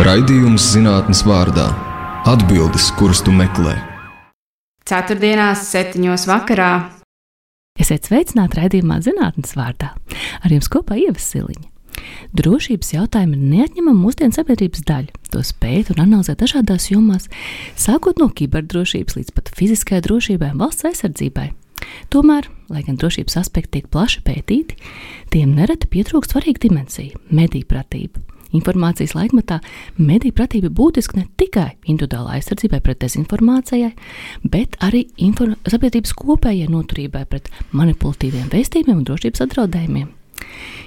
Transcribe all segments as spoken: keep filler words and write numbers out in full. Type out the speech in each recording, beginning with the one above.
Raidījums zinātnes vārdā – atbildes, kuras tu meklē. Ceturtdienās septiņos vakarā. Esiet sveicināti raidījumā zinātnes vārdā. Ar jums kopā Ieva Siliņa. Drošības jautājumi ir neatņemama mūsdienu sabiedrības daļa. To pēt un analizē dažādās jomās, sākot no kiberdrošības līdz pat fiziskai drošībai un valsts aizsardzībai. Tomēr, lai gan drošības aspekti tiek plaši pētīti, tiem nereti pietrūkst svarīga dimensija – mediju pratība. Informācijas laikmetā mediju pratība būtiski ne tikai individuālā aizsardzībai pret dezinformācijai, bet arī inform- sabiedrības kopējai noturībai pret manipulatīviem vēstījumiem un drošības apdraudējumiem.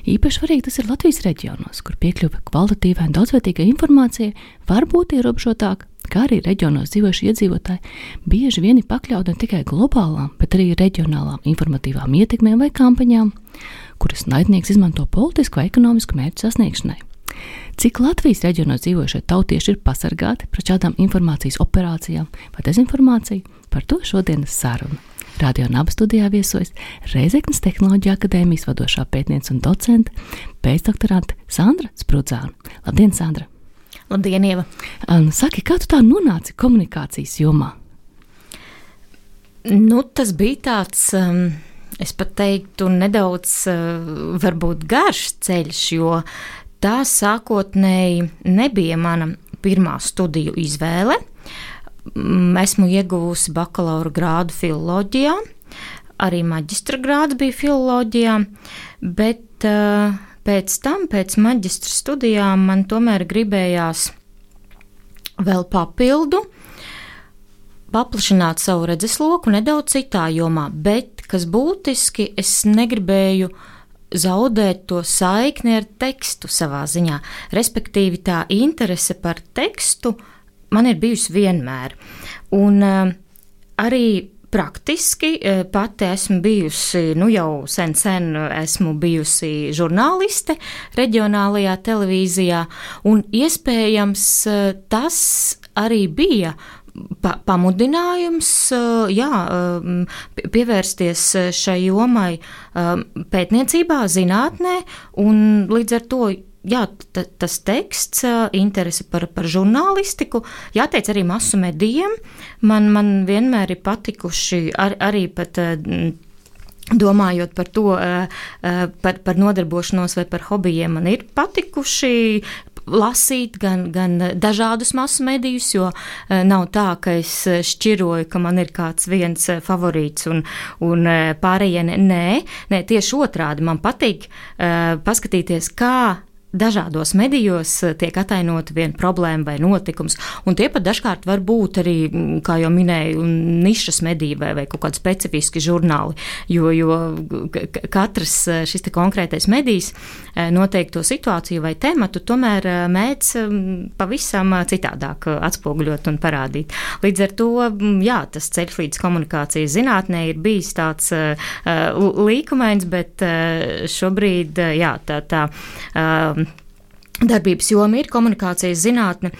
Īpaši svarīgi tas ir Latvijas reģionos, kur piekļuve kvalitatīvai un daudzveitīgai informācijai var būt ierobežotāka, kā arī reģionos dzīvojuši iedzīvotāji bieži vien ir pakļauti ne tikai globālām, bet arī reģionālām informatīvām ietekmēm vai kampaņām, kuras naidnieks izmanto politisku vai ekonomisku mērķu sasniegšanai. Cik Latvijas reģionos dzīvojušie tautieši ir pasargāti pret šādām informācijas operācijām vai dezinformāciju, par to šodienas saruna. Radio Naba studijā viesojas Reizeknes Tehnoloģiju akadēmijas vadošā pētniece un docente, pēcdoktorante Sandra Sprudzāne. Labdien, Sandra! Labdien, Ieva! Saki, kā tu tā nonāci komunikācijas jomā? Nu, tas bija tāds, um, es pat teiktu, nedaudz uh, varbūt garš ceļš, jo tā sākotnēji nebija mana pirmā studiju izvēle. Esmu ieguvusi bakalaura grādu filoloģijā, arī maģistra grāds bija filoloģijā, bet uh, pēc tam, pēc maģistra studijām, man tomēr gribējās vēl papildu paplašināt savu redzesloku nedaudz citā jomā, bet, kas būtiski, es negribēju zaudēt to saikni ar tekstu savā ziņā. Respektīvi, tā interese par tekstu man ir bijusi vienmēr. Un uh, arī praktiski uh, pati esmu bijusi, nu jau sen sen esmu bijusi žurnāliste reģionālajā televīzijā, un iespējams uh, tas arī bija Pa, pamudinājums, jā, pievērsties šai jomai pētniecībā, zinātnē, un līdz ar to, jā, t- tas teksts, interese par, par žurnālistiku, jāteic arī masu medijiem, man, man vienmēr ir patikuši ar, arī pat domājot par to, par, par nodarbošanos vai par hobijiem, man ir patikuši lasīt gan, gan dažādus masu medijus, jo nav tā, ka es šķiroju, ka man ir kāds viens favorīts un, un pārējie ne. Nē, nē, tieši otrādi man patīk uh, paskatīties, kā dažādos medijos tiek atainota viena problēma vai notikums, un tie pat dažkārt var būt arī, kā jau minēju, nišas mediji vai, vai kaut kādi specifiski žurnāli, jo, jo katrs šis te konkrētais medijs noteikto situāciju vai tematu tomēr mēdz pavisam citādāk atspoguļot un parādīt. Līdz ar to, jā, tas ceļš līdz komunikācijas zinātnē ir bijis tāds uh, līkumains, bet uh, šobrīd, uh, jā, tā, tā uh, darbības joma ir komunikācijas zinātne,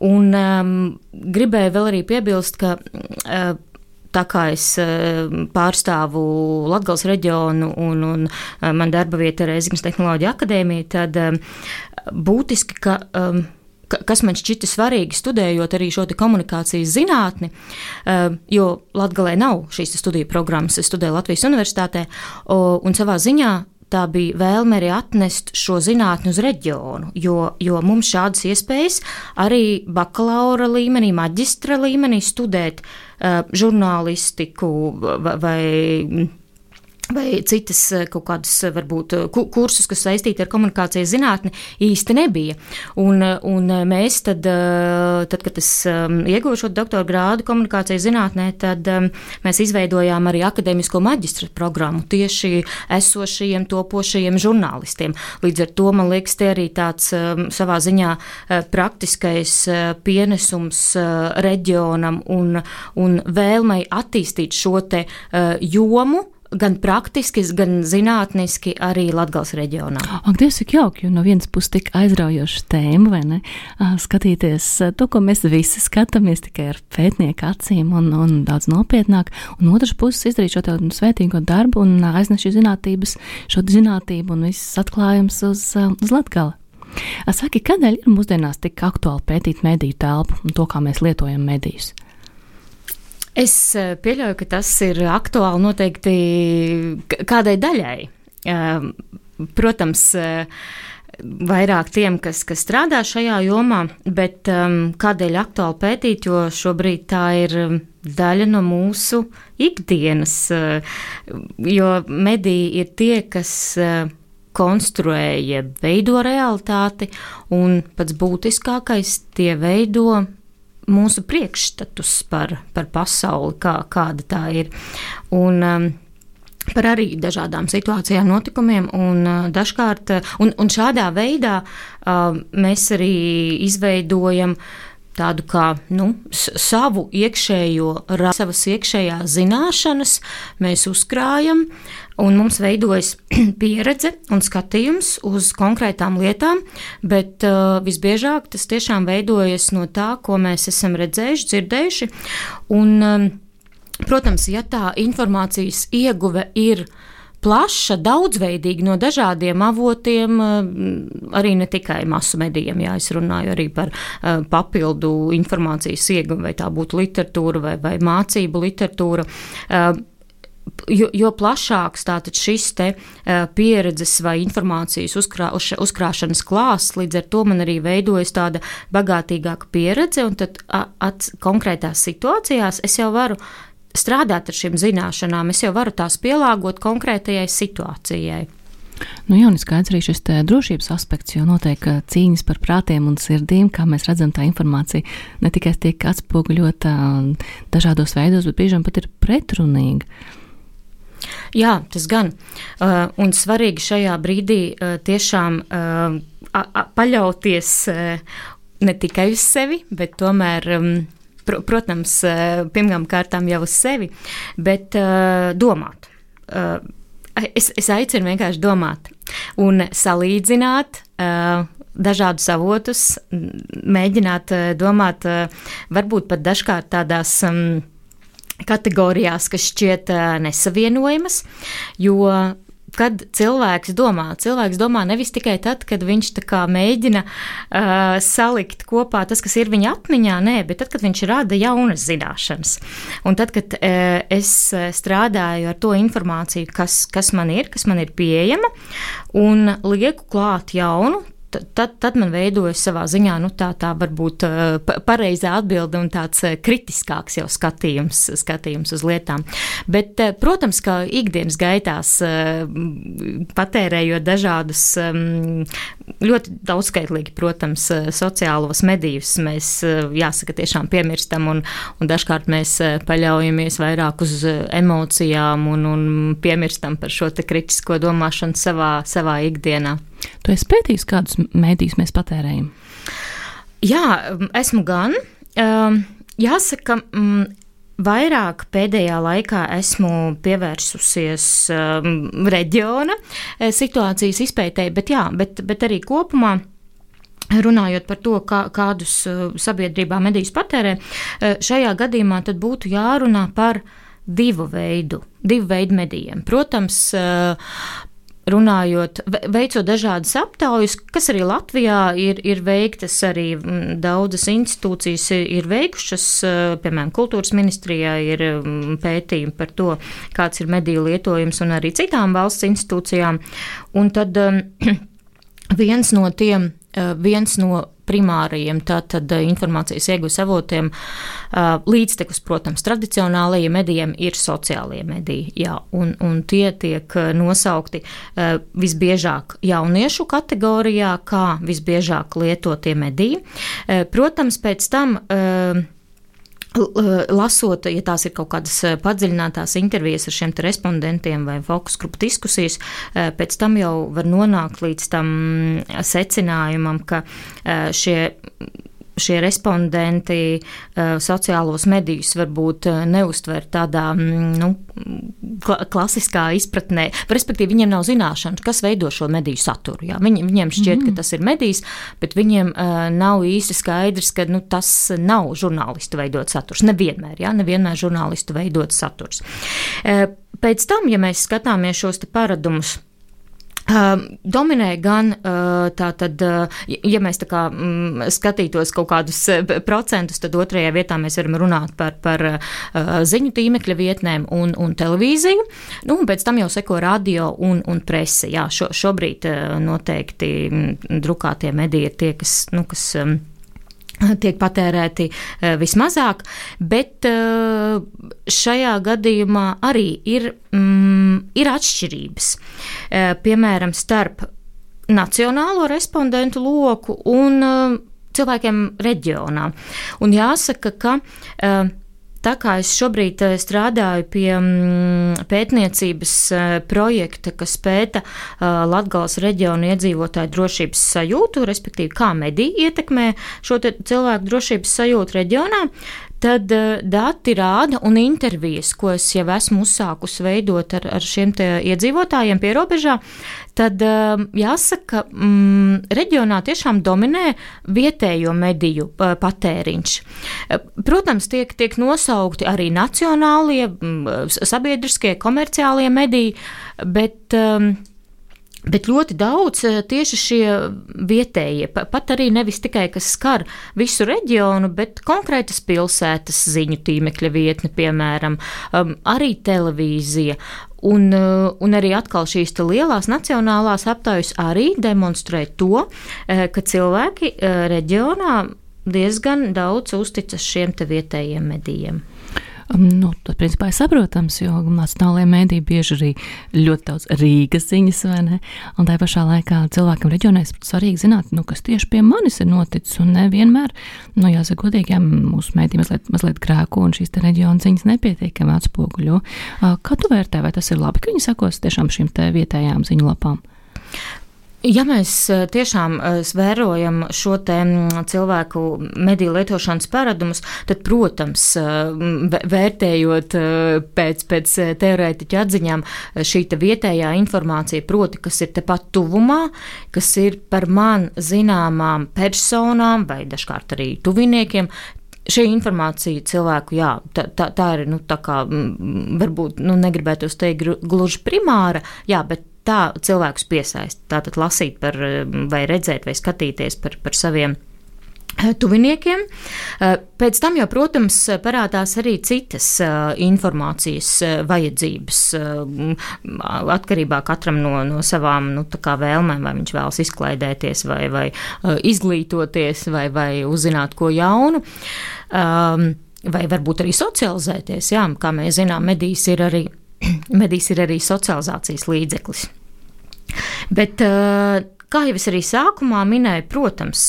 un um, gribēju vēl arī piebilst, ka uh, tā kā es uh, pārstāvu Latgales reģionu un, un uh, man darba vieta ir Reizeknes Tehnoloģiju akadēmija, tad um, būtiski, ka um, kas man šķita svarīgi studējot arī šo te komunikācijas zinātni, uh, jo Latgalē nav šīs studiju programmas, es studēju Latvijas universitātē, uh, un savā ziņā tā bija vēlme arī atnest šo zinātni uz reģionu, jo, jo mums šādas iespējas arī bakalaura līmenī, maģistra līmenī studēt uh, žurnālistiku vai, vai vai citas kaut kādas, varbūt, kursus, kas saistīti ar komunikācijas zinātni, īsti nebija. Un, un mēs tad, tad, kad es ieguvu šo doktora grādu komunikācijas zinātnē, tad mēs izveidojām arī akadēmisko maģistra programmu tieši esošajiem, topošajiem žurnālistiem. Līdz ar to, man liekas, te arī tāds savā ziņā praktiskais pienesums reģionam un, un vēlmei attīstīt šo te jomu, gan praktiski, gan zinātniski arī Latgales reģionā. Ak, Dievs, cik jauki, jo no vienas puses tik aizraujoša tēma, vai ne? Skatīties to, ko mēs visi skatāmies tikai ar pētnieku acīm un, un daudz nopietnāk, un otras puses izdarīt šo tādu svētīgo darbu un aiznest šī zinātības, šo zinātību un viss atklājums uz, uz Latgali. Saki, kādēļ ir mūsdienās tik aktuāli pētīt mediju telpu un to, kā mēs lietojam medijus? Es pieļauju, ka tas ir aktuāli noteikti kādai daļai. Protams, vairāk tiem, kas, kas strādā šajā jomā, bet um, kādēļ aktuāli pētīt, jo šobrīd tā ir daļa no mūsu ikdienas, jo mediji ir tie, kas konstruē, veido realitāti, un pats būtiskākais tie veido mūsu priekšstatus par, par pasauli, kā, kāda tā ir. Un um, par arī dažādām situācijām, notikumiem, un uh, dažkārt, un, un šādā veidā uh, mēs arī izveidojam tādu kā, nu, savu iekšējo, savas iekšējās zināšanas, mēs uzkrājam, un mums veidojas pieredze un skatījums uz konkrētām lietām, bet uh, visbiežāk tas tiešām veidojas no tā, ko mēs esam redzējuši, dzirdējuši, un, um, protams, ja tā informācijas ieguve ir plaša, daudzveidīga no dažādiem avotiem, arī ne tikai masu medijiem, jā, es runāju arī par uh, papildu informācijas ieguvi, vai tā būtu literatūra vai, vai mācību literatūra. Uh, jo, jo plašāks tātad šis te uh, pieredzes vai informācijas uzkrā, uz, uzkrāšanas klāsts, līdz ar to man arī veidojas tāda bagātīgāka pieredze, un tad at, konkrētās situācijās es jau varu strādāt ar šīm zināšanām, es jau varu tās pielāgot konkrētajai situācijai. Nu jā, un skaidrs arī šis drošības aspekts, jo notiek cīņas par prātiem un sirdīm, kā mēs redzam, tā informācija ne tikai tiek atspoguļota dažādos veidos, bet biežām pat ir pretrunīga. Jā, tas gan. Uh, un svarīgi šajā brīdī uh, tiešām uh, a, a, paļauties uh, ne tikai uz sevi, bet tomēr um, Protams, pirmām kārtām jau uz sevi, bet uh, domāt. Uh, es, es aicinu vienkārši domāt un salīdzināt uh, dažādus avotus, mēģināt uh, domāt uh, varbūt pat dažkārt tādās um, kategorijās, kas šķiet uh, nesavienojamas, jo kad cilvēks domā, cilvēks domā nevis tikai tad, kad viņš tā kā mēģina uh, salikt kopā tas, kas ir viņa atmiņā, nē, bet tad, kad viņš rada jaunas zināšanas. Un tad, kad uh, es strādāju ar to informāciju, kas, kas man ir, kas man ir pieejama, un lieku klāt jaunu, Tad, tad man veidojas savā ziņā nu, tā, tā varbūt pareizā atbilde un tāds kritiskāks jau skatījums, skatījums uz lietām. Bet, protams, ka ikdienas gaitās patērējot dažādus ļoti daudzskaitlīgi, protams, sociālos medijus, mēs jāsaka tiešām piemirstam un, un dažkārt mēs paļaujamies vairāk uz emocijām un, un piemirstam par šo te kritisko domāšanu savā, savā ikdienā. Tu esi pētījis, kādus mēdījus mēs patērējam? Jā, esmu gan. Jāsaka, vairāk pēdējā laikā esmu pievērsusies reģiona situācijas izpētēji, bet jā, bet, bet arī kopumā runājot par to, kā, kādus sabiedrībā medijus patērē, šajā gadījumā tad būtu jārunā par divu veidu, divu veidu medijiem. Protams, runājot, veicot dažādas aptaujas, kas arī Latvijā ir, ir veiktas, arī daudzas institūcijas ir, ir veikušas, piemēram, kultūras ministrijā ir pētījumi par to, kāds ir mediju lietojums un arī citām valsts institūcijām. Un tad viens no tiem, viens no primārajiem tātad informācijas iegūs avotiem līdztekus, protams, tradicionālajiem medijiem ir sociālie mediji, jā, un, un tie tiek nosaukti visbiežāk jauniešu kategorijā, kā visbiežāk lietotie mediji. Protams, pēc tam lasot, ja tās ir kaut kādas padziļinātās intervijas ar šiem te respondentiem vai fokus grupu diskusijas, pēc tam jau var nonākt līdz tam secinājumam, ka šie, šie respondenti sociālos medijus varbūt neuztver tādā, nu, klasiskā izpratnē, respektīvi viņiem nav zināšanas, kas veido šo mediju saturu. Jā. Viņ, viņiem šķiet, mm. ka tas ir medijs, bet viņiem uh, nav īsti skaidrs, ka nu, tas nav žurnālistu veidot saturs. Nevienmēr, jā, nevienmēr žurnālistu veidot saturs. Uh, pēc tam, ja mēs skatāmies šos te paradumus, Uh, dominē gan uh, tā tad, uh, ja mēs tā kā mm, skatītos kaut kādus uh, procentus, tad otrajā vietā mēs varam runāt par, par uh, ziņu tīmekļa vietnēm un, un televīziju, nu, un pēc tam jau seko radio un, un prese. Jā, šo, šobrīd uh, noteikti mm, drukātie mediji ir tie, kas, nu, kas um, tiek patērēti uh, vismazāk, bet uh, šajā gadījumā arī ir, mm, ir atšķirības. Uh, piemēram, starp nacionālo respondentu loku un uh, cilvēkiem reģionā. Un jāsaka, ka uh, tā kā es šobrīd strādāju pie pētniecības projekta, kas pēta Latgales reģionu iedzīvotāju drošības sajūtu, respektīvi, kā mediji ietekmē šo cilvēku drošības sajūtu reģionā, tad dati rāda un intervijas, ko es jau esmu uzsākusi veidot ar, ar šiem te iedzīvotājiem pie robežā, tad jāsaka, mm, reģionā tiešām dominē vietējo mediju patēriņš. Protams, tiek, tiek nosaukti arī nacionālie, sabiedriskie, komerciālie mediji, bet Bet ļoti daudz tieši šie vietējie, pat arī nevis tikai, kas skar visu reģionu, bet konkrētas pilsētas ziņu tīmekļa vietne, piemēram, arī televīzija. Un, un arī atkal šīs lielās nacionālās aptaujas arī demonstrē to, ka cilvēki reģionā diezgan daudz uzticas šiem te vietējiem medijiem. Nu, tas, principā, ir saprotams, jo nacionālajie mēdī bieži arī ļoti daudz Rīgas ziņas, vai ne? Un tā pašā laikā cilvēkam reģionā ir svarīgi zināt, nu, kas tieši pie manis ir noticis, un nevienmēr, nu, jāsaka godīgi, jā, mūsu mēdī mazliet, mazliet grēko, un šīs te reģiona ziņas nepietiekami atspoguļo. Kā tu vērtē, vai tas ir labi, ka viņi sakos tiešām šīm te vietējām ziņu lapām? Ja mēs tiešām vērojam šo te cilvēku mediju lietošanas paradumus, tad, protams, vērtējot pēc, pēc teorētiķa atziņām šī te vietējā informācija, proti, kas ir tepat tuvumā, kas ir par man zināmām personām vai dažkārt arī tuviniekiem, šī informācija cilvēku, jā, tā, tā, tā ir, nu, tā kā, varbūt, nu, negribētu teikt gluži primāra, jā, bet tā cilvēkus piesaist, tātad lasīt par, vai redzēt, vai skatīties par, par saviem tuviniekiem. Pēc tam jau, protams, parādās arī citas informācijas vajadzības, atkarībā katram no, no savām, nu, tā kā vēlmēm, vai viņš vēlas izklaidēties, vai, vai izglītoties, vai, vai uzzināt ko jaunu, vai varbūt arī socializēties, jā, kā mēs zinām, medijas ir arī Medijs ir arī socializācijas līdzeklis. Bet, kā jau es arī sākumā minēju, protams,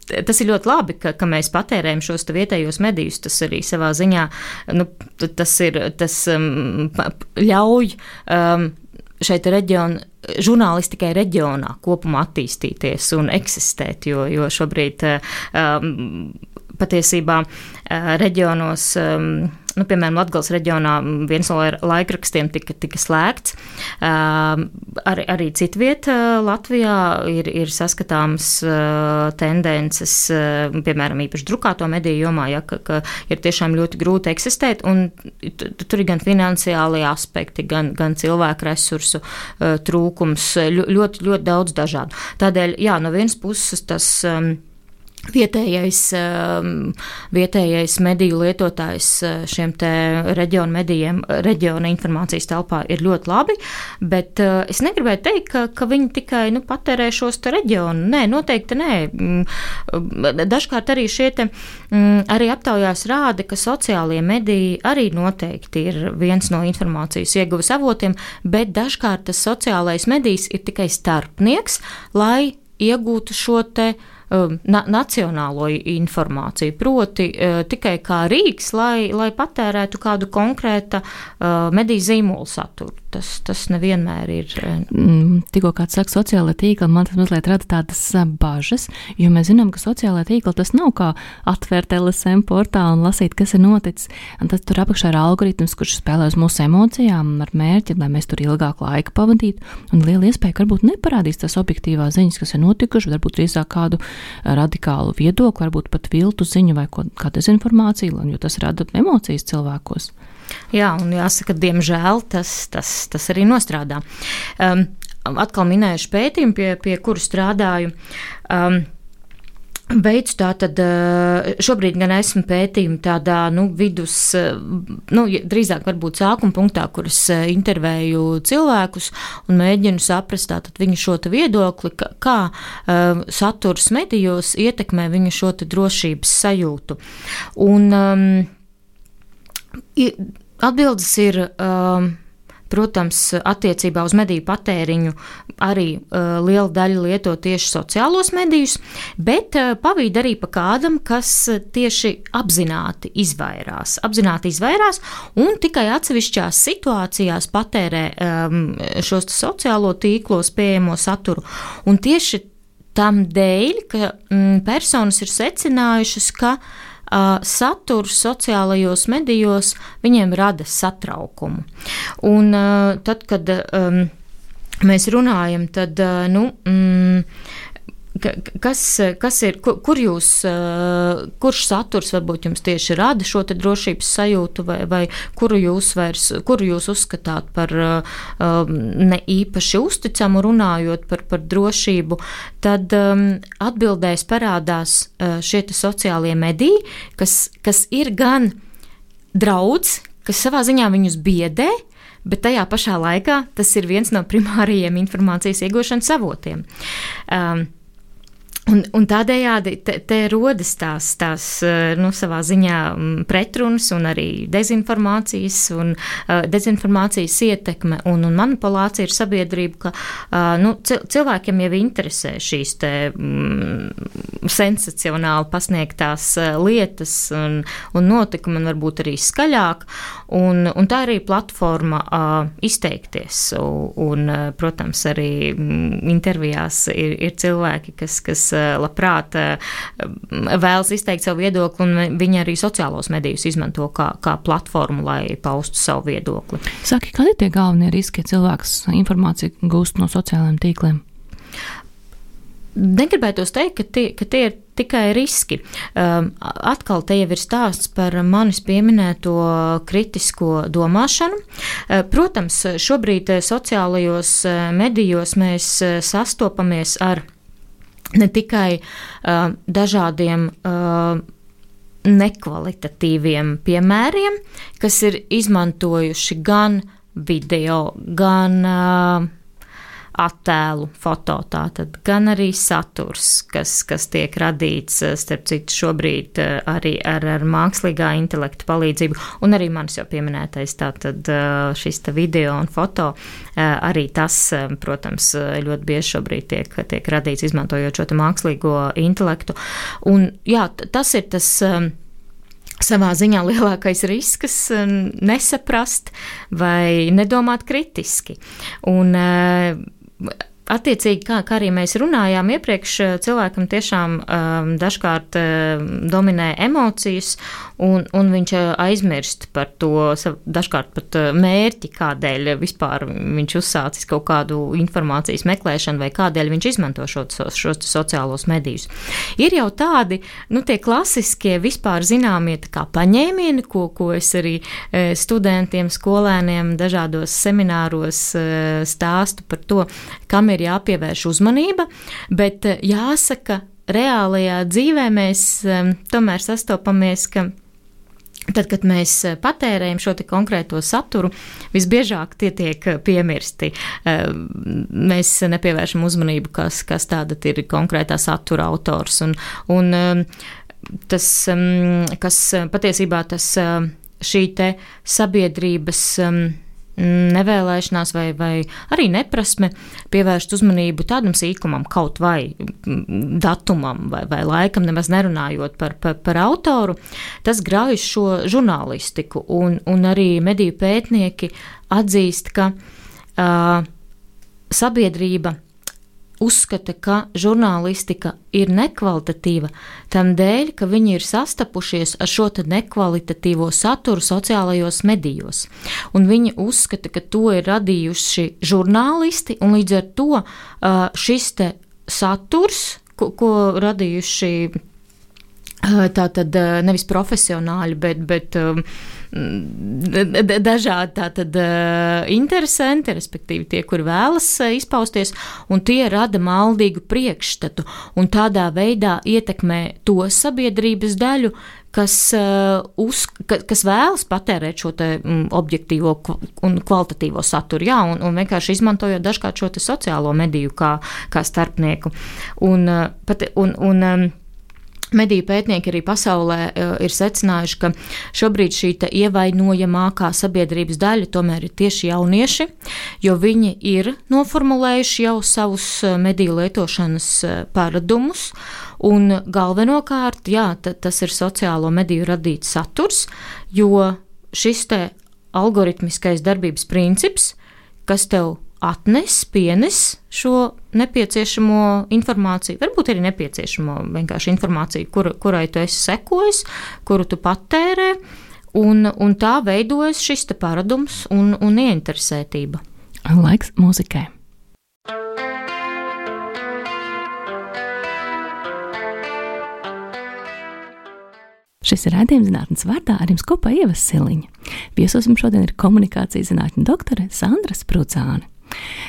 tas ir ļoti labi, ka, ka mēs patērējam šos vietējos medijus. Tas arī savā ziņā, nu, tas ir, tas um, ļauj um, šeit reģionu, žurnālistikai reģionā kopumā attīstīties un eksistēt, jo, jo šobrīd um, patiesībā uh, reģionos, um, nu, piemēram, Latgales reģionā viens no laikrakstiem tika, tika slēgts. Uh, arī, arī citviet uh, Latvijā ir, ir saskatāmas uh, tendences, uh, piemēram, īpaši drukāto mediju jomā, ja, ka, ka ir tiešām ļoti grūti eksistēt, un tur ir gan finansiālie aspekti, gan, gan cilvēku resursu uh, trūkums, ļoti, ļoti daudz dažādu. Tādēļ, jā, no vienas puses tas um, Vietējais, vietējais mediju lietotājs šiem te reģionu medijiem, reģiona informācijas telpā ir ļoti labi, bet es negribēju teikt, ka, ka viņi tikai, nu, patērē šos te reģionu. Nē, noteikti nē. Dažkārt arī šie te, arī aptaujās rāda, ka sociālie mediji arī noteikti ir viens no informācijas ieguves avotiem, bet dažkārt tas sociālais medijs ir tikai starpnieks, lai iegūtu šo te Na, nacionālo informāciju, proti uh, tikai kā rīks, lai, lai patērētu kādu konkrēta uh, mediju zīmolu saturu. Tas, tas nevienmēr ir. Mm, tikko kāds saka sociālai tīkli, man tas mazliet rada tādas bažas, jo mēs zinām, ka sociālai tīkli tas nav kā atvērt L S M portālu un lasīt, kas ir noticis. Un tad tur apakšā ir algoritms, kurš spēlē uz mūsu emocijām ar mērķi, lai mēs tur ilgāk laika pavadītu. Un liela iespēja, ka varbūt neparādīs tās objektīvās ziņas, kas ir notikušas, varbūt drīzāk kādu radikālu viedokli, varbūt pat viltu ziņu vai ko, kā dezinformāciju, jo tas rada emocijas cilvēkos. Jā, un jāsaka, diemžēl tas, tas, tas arī nostrādā. Um, atkal minējuši pētījumu, pie, pie kuru strādāju. Um, Veicu tātad, šobrīd gan esmu pētījumi tādā, nu, vidus, nu, drīzāk varbūt sākuma punktā, kur es intervēju cilvēkus un mēģinu saprast tātad viņu šo te viedokli, kā, kā uh, saturs medijos ietekmē viņu šo te drošības sajūtu. Un um, atbildes ir... Um, Protams, attiecībā uz mediju patēriņu arī uh, liela daļa lieto tieši sociālos medijus, bet uh, pavīd arī pa kādam, kas tieši apzināti izvairās. Apzināti izvairās un tikai atsevišķās situācijās patērē um, šos sociālo tīklos pieejamo saturu. Un tieši tam dēļ, ka mm, personas ir secinājušas, ka Uh, saturs sociālajos medijos viņiem rada satraukumu. Un uh, tad, kad um, mēs runājam, tad, uh, nu, mm, kas, kas ir, kur, kur jūs, uh, kurš saturs varbūt jums tieši rada šo te drošības sajūtu, vai, vai kuru jūs vairs, kuru jūs uzskatāt par uh, ne īpaši uzticamu runājot par, par drošību, tad um, atbildēs parādās uh, šie te sociālie mediji, kas, kas ir gan draudz, kas savā ziņā viņus biedē, bet tajā pašā laikā tas ir viens no primārajiem informācijas iegūšanas avotiem. Um, Un, un tādējādi te, te rodas tās, tās nu, savā ziņā pretrunas un arī dezinformācijas un uh, dezinformācijas ietekme un, un manipulācija ir sabiedrība, ka uh, nu, cilvēkiem jau interesē šīs te mm, sensacionāli pasniegtās lietas un, un notikumi un varbūt arī skaļāk, un, un tā arī platforma uh, izteikties. Un, un, protams, arī mm, intervijās ir, ir cilvēki, kas, kas labprāt vēlas izteikt savu viedokli, un viņi arī sociālos medijus izmanto kā, kā platformu, lai paustu savu viedokli. Saki, kādi ir tie galvenie riski, ja cilvēks informāciju gūst no sociālajiem tīkliem? Negribētos teikt, ka tie, ka tie ir tikai riski. Um, atkal te jau ir stāsts par manis pieminēto kritisko domāšanu. Uh, protams, šobrīd sociālajos medijos mēs sastopamies ar ne tikai uh, dažādiem uh, nekvalitatīviem piemēriem, kas ir izmantojuši gan video, gan uh, attēlu, foto, tātad gan arī saturs, kas, kas tiek radīts, starp citu, šobrīd arī ar, ar mākslīgā intelekta palīdzību, un arī manis jau pieminētais tātad šis tā video un foto, arī tas, protams, ļoti bieži šobrīd tiek, tiek radīts izmantojot šo tā mākslīgo intelektu. Un jā, tas ir tas savā ziņā lielākais risks nesaprast vai nedomāt kritiski. Un attiecīgi, kā, kā arī mēs runājām iepriekš, cilvēkam tiešām um, dažkārt um, dominē emocijas, un, un viņš aizmirst par to, dažkārt pat mērķi, kādēļ vispār viņš uzsācis kaut kādu informācijas meklēšanu, vai kādēļ viņš izmanto šos, šos sociālos medijus. Ir jau tādi, nu, tie klasiskie vispār zināmie tā kā paņēmieni, ko, ko es arī e, studentiem, skolēniem dažādos semināros e, stāstu par to, kam ir jāpievērš uzmanība, bet jāsaka, reālajā dzīvē mēs um, tomēr sastopamies, ka tad, kad mēs patērējam šo te konkrēto saturu, visbiežāk tie tiek piemirsti. Um, mēs nepievēršam uzmanību, kas, kas tāda ir konkrētā satura autors. Un, un um, tas, um, kas patiesībā tas um, šī te sabiedrības um, nevēlēšanās vai, vai arī neprasme pievērst uzmanību tādam sīkumam, kaut vai datumam vai, vai laikam, nemaz nerunājot par, par, par autoru, tas grauj šo žurnālistiku, un, un arī mediju pētnieki atzīst, ka uh, sabiedrība uzskata, ka žurnālistika ir nekvalitatīva, tam dēļ, ka viņi ir sastapušies ar šo te nekvalitatīvo saturu sociālajos medijos. Un viņi uzskata, ka to ir radījuši žurnālisti, un līdz ar to šis te saturs, ko, ko radījuši Tātad nevis profesionāļi, bet, bet dažādi tātad interesanti, respektīvi tie, kur vēlas izpausties, un tie rada maldīgu priekšstatu un tādā veidā ietekmē to sabiedrības daļu, kas, uz, kas vēlas patērēt šo te objektīvo un kvalitatīvo saturu, jā, un, un vienkārši izmantojot dažkārt šo te sociālo mediju kā, kā starpnieku. Un, pat, un, un mediju pētnieki arī pasaulē ir secinājuši, ka šobrīd šī ievainojamākā sabiedrības daļa tomēr ir tieši jaunieši, jo viņi ir noformulējuši jau savus mediju lietošanas paradumus, un galvenokārt, jā, tas ir sociālo mediju radīts saturs, jo šis te algoritmiskais darbības princips, kas tev atnes, pienes šo nepieciešamo informāciju, varbūt arī nepieciešamo vienkārši informāciju, kur, kurai tu esi sekojis, kuru tu patērē, un, un tā veidojas šis te paradums un, un ieinteresētība. Laiks mūzikai. Šis ir raidījums Zinātnes vārdā, ar jums kopā Ieva Siliņa. Viesos mums šodien ir komunikācijas zinātņu doktore Sandra Sprucāne.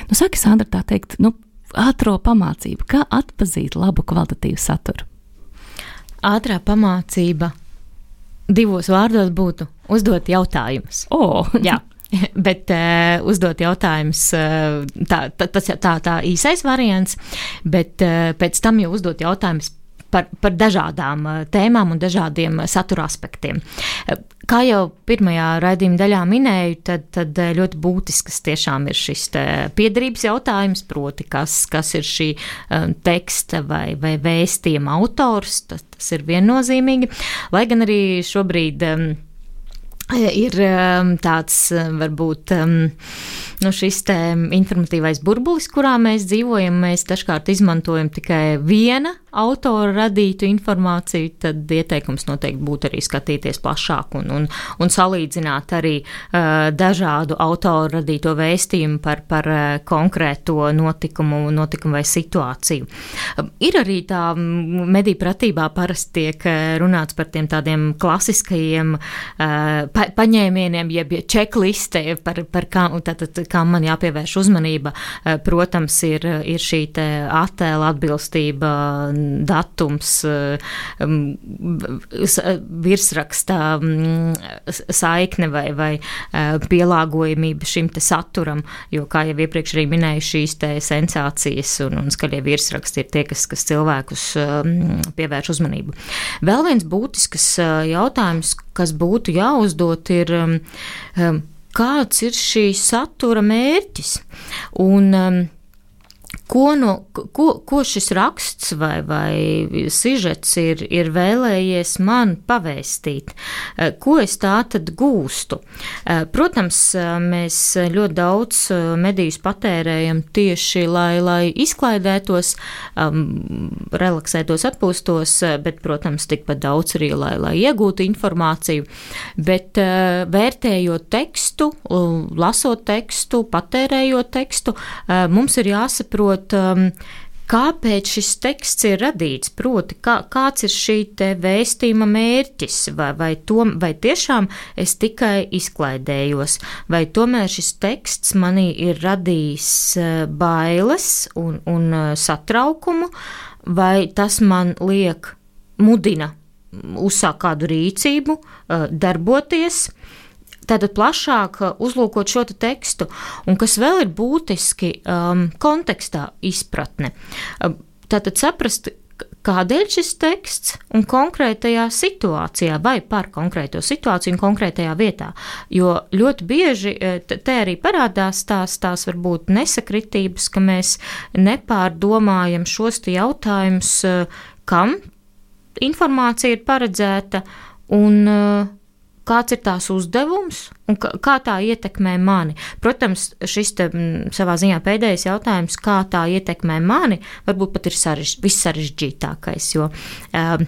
Nu, saki, Sandra, tā teikt, nu, ātro pamācību, kā atpazīt labu kvalitatīvu saturu? Ātrā pamācība divos vārdos būtu uzdot jautājumus. O! Jā, bet uh, uzdot jautājumus, uh, tā, tā, tas tā, tā īsais variants, bet uh, pēc tam jau uzdot jautājumus par, par dažādām uh, tēmām un dažādiem uh, satura aspektiem. Uh, Kā jau pirmajā raidījuma daļā minēju, tad, tad ļoti būtisks tiešām ir šis piederības jautājums, proti, kas, kas ir šī um, teksta vai, vai vēstījuma autors, tas, tas ir viennozīmīgi, lai gan arī šobrīd um, ir um, tāds, varbūt, um, nu šis te informatīvais burbulis, kurā mēs dzīvojam, mēs dažkārt izmantojam tikai viena autora radītu informāciju, tad ieteikums noteikti būtu arī skatīties plašāk un, un, un salīdzināt arī uh, dažādu autoru radīto vēstījumu par, par uh, konkrēto notikumu, notikumu vai situāciju. Uh, ir arī tā mediju pratībā parasti tiek runāts par tiem tādiem klasiskajiem uh, pa, paņēmieniem, jeb čekliste, par, par kā, tātad, kā man jāpievērš uzmanība. Uh, protams, ir, ir šī te attēla atbilstība, datums, virsraksta saikne vai, vai pielāgojamība šim te saturam, jo, kā jau iepriekš arī minēju, šīs te sensācijas un, un skaļie virsraksti ir tie, kas, kas cilvēkus pievērš uzmanību. Vēl viens būtisks jautājums, kas būtu jāuzdot, ir, kāds ir šī satura mērķis? Un Ko, no, ko, ko šis raksts vai, vai sižets ir, ir vēlējies man pavēstīt? Ko es tā tad gūstu? Protams, mēs ļoti daudz medijus patērējam tieši, lai, lai izklaidētos, um, relaksētos, atpūstos, bet, protams, tikpat daudz arī, lai, lai iegūtu informāciju. Bet uh, vērtējot tekstu, lasot tekstu, patērējot tekstu, uh, mums ir jāsaprot, Um, kāpēc šis teksts ir radīts, proti, kā, kāds ir šī te vēstījuma mērķis, vai, vai, to, vai tiešām es tikai izklaidējos, vai tomēr šis teksts manī ir radījis bailes un, un satraukumu, vai tas man liek, mudina uzsākt kādu rīcību, darboties, tātad plašāk uzlūkot šo te tekstu, un kas vēl ir būtiski, um, kontekstā izpratne. Tātad saprast, kādēļ šis teksts un konkrētajā situācijā vai par konkrēto situāciju un konkrētajā vietā, jo ļoti bieži te arī parādās tās, tās varbūt nesakritības, ka mēs nepārdomājam šos te jautājumus, kam informācija ir paredzēta un kāds ir tās uzdevums un kā tā ietekmē mani. Protams, šis te savā ziņā pēdējais jautājums, kā tā ietekmē mani, varbūt pat ir sarež, vissarežģītākais, jo um,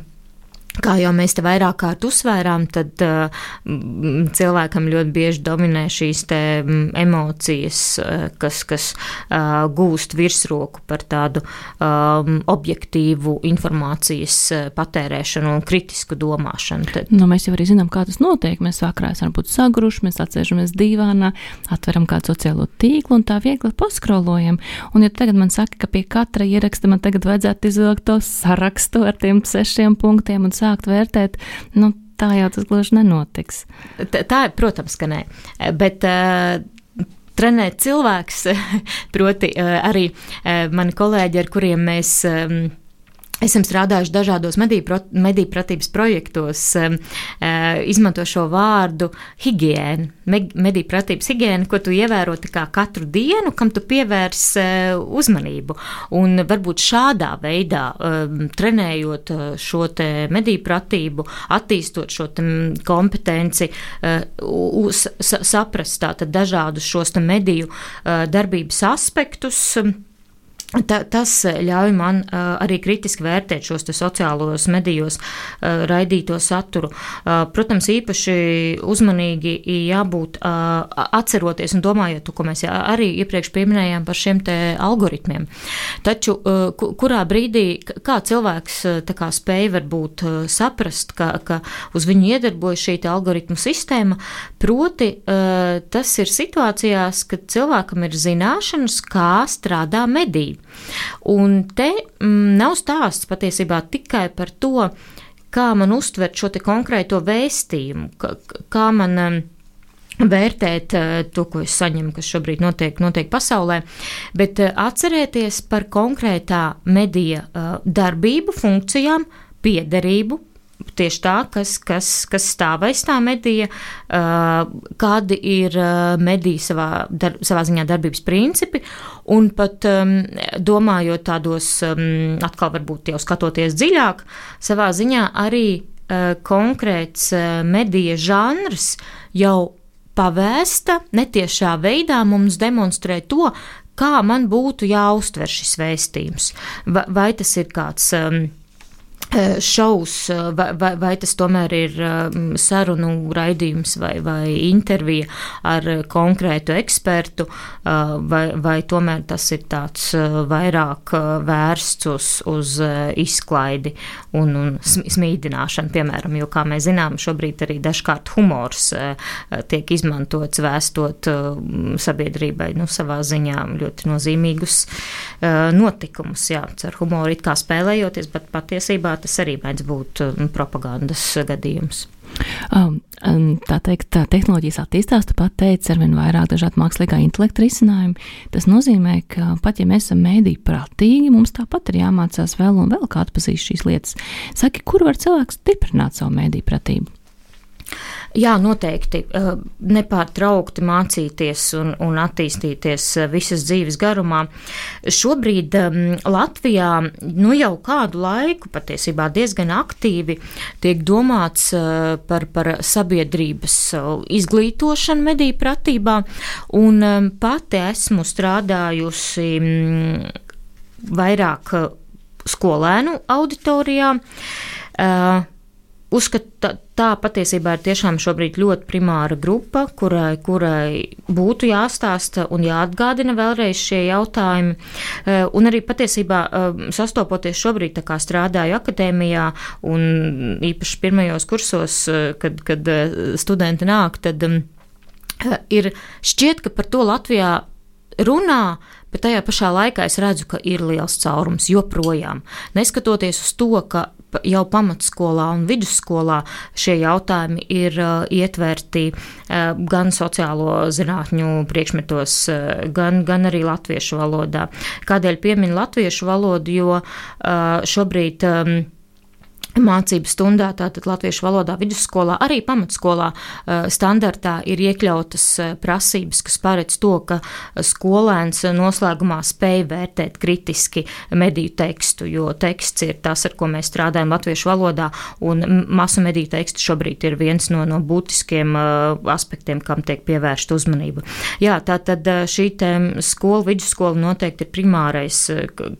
Kā jau mēs te vairāk kārt uzsvērām, tad uh, cilvēkam ļoti bieži dominē šīs te emocijas, uh, kas, kas uh, gūst virsroku par tādu um, objektīvu informācijas uh, patērēšanu un kritisku domāšanu. Tad... Nu, mēs jau arī zinām, kā tas notiek. Mēs vakarā esam būt sagruši, mēs atsēžamies dīvānā, atveram kādu sociālo tīklu un tā viegli paskrolojam. Un ja tagad man saka, ka pie katra ieraksta man tagad vajadzētu izvilkt to sarakstu ar tiem sešiem punktiem un sākt vērtēt, nu, tā jau tas gluži nenotiks. Tā, tā protams, ka nē. Bet uh, trenēt cilvēks, proti uh, arī uh, mani kolēģi, ar kuriem mēs um, esam strādājuši dažādos mediju pratības projektos, um, uh, izmanto šo vārdu higiēna, mediju pratības higiēna, ko tu ievēro tā kā katru dienu, kam tu pievērs uh, uzmanību. Un varbūt šādā veidā, um, trenējot uh, šo te mediju pratību, attīstot šo te kompetenci, uh, uz, sa, saprast tātad dažādus šos te mediju uh, darbības aspektus, um, Ta, tas ļauj man uh, arī kritiski vērtēt šos te sociālos medijos uh, raidīto saturu. Uh, protams, īpaši uzmanīgi jābūt uh, atceroties un domājot, ko mēs arī iepriekš pieminējām par šiem te algoritmiem. Taču, uh, kurā brīdī, kā cilvēks uh, tā kā spēja varbūt uh, saprast, ka, ka uz viņu iedarbojas šī te algoritmu sistēma, proti uh, tas ir situācijās, kad cilvēkam ir zināšanas, kā strādā mediji. Un te mm, nav stāsts patiesībā tikai par to, kā man uztvert šo te konkrēto vēstījumu, kā, kā man um, vērtēt uh, to, ko es saņemu, kas šobrīd notiek, notiek pasaulē, bet uh, atcerēties par konkrētā medija uh, darbību, funkcijām, piederību, tieši tā, kas, kas, kas stāv aiz tā medija, uh, kādi ir uh, mediji savā, dar, savā ziņā darbības principi, un pat um, domājot tādos, um, atkal varbūt jau skatoties dziļāk, savā ziņā arī uh, konkrēts uh, medija žanrs jau pavēsta netiešā veidā mums demonstrē to, kā man būtu jāuztver šis vēstījums. Vai, vai tas ir kāds... Um, šaus, vai, vai, vai tas tomēr ir sarunu raidījums vai, vai intervija ar konkrētu ekspertu, vai, vai tomēr tas ir tāds vairāk vērsts uz, uz izklaidi un, un smīdināšanu, piemēram, jo, kā mēs zinām, šobrīd arī dažkārt humors tiek izmantots vēstot sabiedrībai, nu, savā ziņā ļoti nozīmīgus notikumus, jā, ar humoru it kā spēlējoties, bet patiesībā tas arī mēdz būt propagandas gadījums. Um, tā teikt, tā tehnoloģijas attīstās, tu pat teici, arvien vairāk dažādi mākslīgā intelekta risinājumi. Tas nozīmē, ka pat ja mēs esam mēdī prātīgi, mums tāpat ir jāmācās vēl un vēl kā atpazīst šīs lietas. Saki, kur var cilvēks stiprināt savu mēdī pratību? Jā, noteikti nepārtraukti mācīties un, un attīstīties visas dzīves garumā. Šobrīd um, Latvijā nu jau kādu laiku patiesībā diezgan aktīvi tiek domāts uh, par, par sabiedrības uh, izglītošanu mediju pratībā, un um, pati esmu strādājusi um, vairāk uh, skolēnu auditorijā. Uh, Uzskat, tā, tā patiesībā ir tiešām šobrīd ļoti primāra grupa, kurai, kurai būtu jāstāsta un jāatgādina vēlreiz šie jautājumi. Un arī patiesībā sastopoties šobrīd, tā kā strādāju akadēmijā un īpaši pirmajos kursos, kad, kad studenti nāk, tad ir šķiet, ka par to Latvijā runā, bet tajā pašā laikā es redzu, ka ir liels caurums joprojām. Neskatoties uz to, ka jau pamatskolā un vidusskolā šie jautājumi ir uh, ietverti uh, gan sociālo zinātņu priekšmetos, uh, gan, gan arī latviešu valodā. Kādēļ pieminu latviešu valodu, jo uh, šobrīd um, mācību stundā, tātad latviešu valodā vidusskolā, arī pamatskolā standartā ir iekļautas prasības, kas paredz to, ka skolēns noslēgumā spēj vērtēt kritiski mediju tekstu, jo teksts ir tas, ar ko mēs strādājam latviešu valodā, un masu mediju teksts šobrīd ir viens no, no būtiskiem aspektiem, kam tiek pievērsta uzmanība. Jā, tātad šī te skola, vidusskola noteikti ir primārais,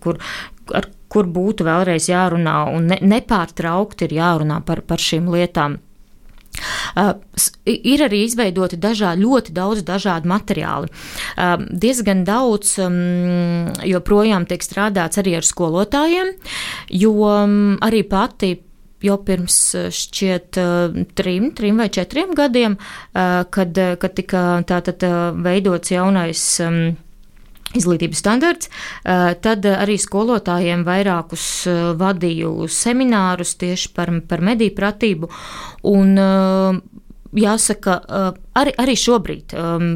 kur, ar kur būtu vēlreiz jārunā un ne, nepārtraukti ir jārunā par, par šīm lietām. Uh, ir arī izveidoti dažādi, ļoti daudz dažādu materiāli. Uh, diezgan daudz um, joprojām tiek strādāts arī ar skolotājiem, jo um, arī pati jau pirms šķiet uh, trim, trim vai četriem gadiem, uh, kad, kad tika tātad uh, veidots jaunais um, izglītības standarts, tad arī skolotājiem vairākus vadīju seminārus tieši par, par mediju pratību, un jāsaka, arī, arī šobrīd um,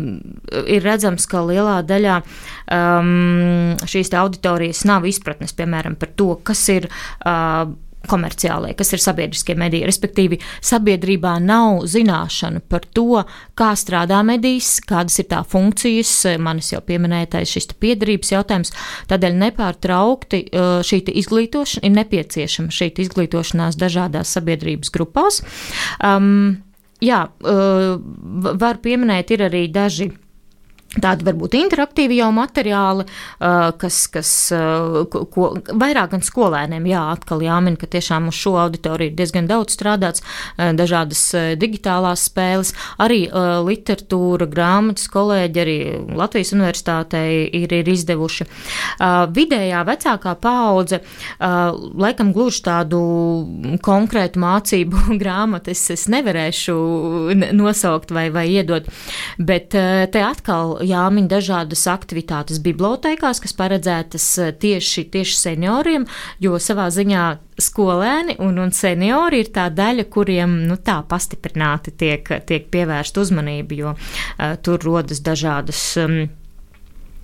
ir redzams, ka lielā daļā um, šīs auditorijas nav izpratnes, piemēram, par to, kas ir uh, komerciālai, kas ir sabiedriskie mediji, respektīvi sabiedrībā nav zināšana par to, kā strādā medijas, kādas ir tā funkcijas, manis jau pieminētais šis piederības jautājums, tādēļ nepārtraukti šī izglītošana ir nepieciešama, šī izglītošanās dažādās sabiedrības grupās. Um, jā, var pieminēt, ir arī daži tādi varbūt interaktīvi jau materiāli, kas, kas ko, ko, vairāk gan skolēniem, jā, atkal jāmin, ka tiešām uz šo auditoriju ir diezgan daudz strādāts, dažādas digitālās spēles, arī literatūra, grāmatas kolēģi, arī Latvijas universitātei ir, ir izdevuši. Vidējā vecākā paudze, laikam gluži tādu konkrētu mācību grāmatu es, es nevarēšu nosaukt vai, vai iedot, bet te atkal jāmin dažādas aktivitātes bibliotēkās, kas paredzētas tieši, tieši senioriem, jo savā ziņā skolēni un, un seniori ir tā daļa, kuriem nu, tā pastiprināti tiek, tiek pievērsta uzmanība, jo uh, tur rodas dažādas um,